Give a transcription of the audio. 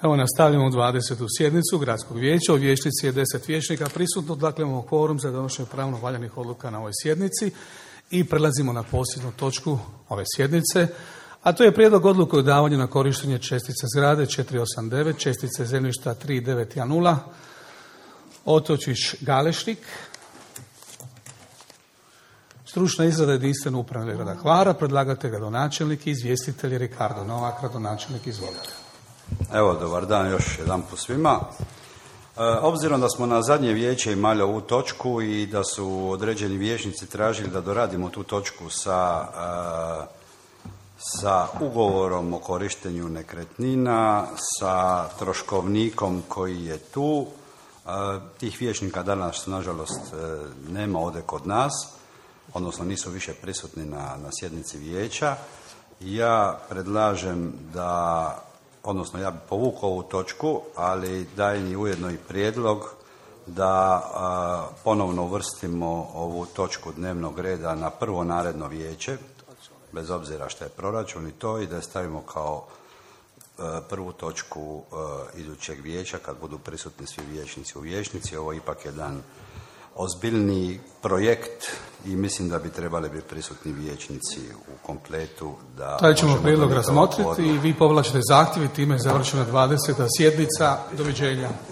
Evo nastavljamo 20. sjednicu Gradskog vijeća. U vijećnici je 10 vijećnika prisutno, dakle imamo kvorum za donošenje pravno valjanih odluka na ovoj sjednici i prelazimo na posljednju točku ove sjednice, a to je prijedlog odluke o davanju na korištenje čestice zgrade 489, čestice zemljišta 3910, Otočić Galešnik, stručna izrada jedinstveno upravnog grada Hvara, predlagatelj gradonačelnik i izvjestitelj Ricardo Novak, gradonačelnik, izvolite. Evo, dobar dan još jedan po svima. Obzirom da smo na zadnje vijeće imali ovu točku i da su određeni vijećnici tražili da doradimo tu točku sa ugovorom o korištenju nekretnina, sa troškovnikom koji je tu, tih vijećnika danas nažalost nema ovdje kod nas, odnosno nisu više prisutni na sjednici vijeća. Ja predlažem odnosno ja bih povukao ovu točku, ali dajem i ujedno i prijedlog da ponovno uvrstimo ovu točku dnevnog reda na prvo naredno vijeće, bez obzira što je proračun i to, i da je stavimo kao prvu točku idućeg vijeća kad budu prisutni svi vijećnici u vijećnici. Ovo je ipak jedan ozbiljni projekt i mislim da bi trebali biti prisutni vijećnici u kompletu. Taj ćemo prijedlog razmotriti i vi povlačite zahtjev i time je završena 20. sjednica. Doviđenja.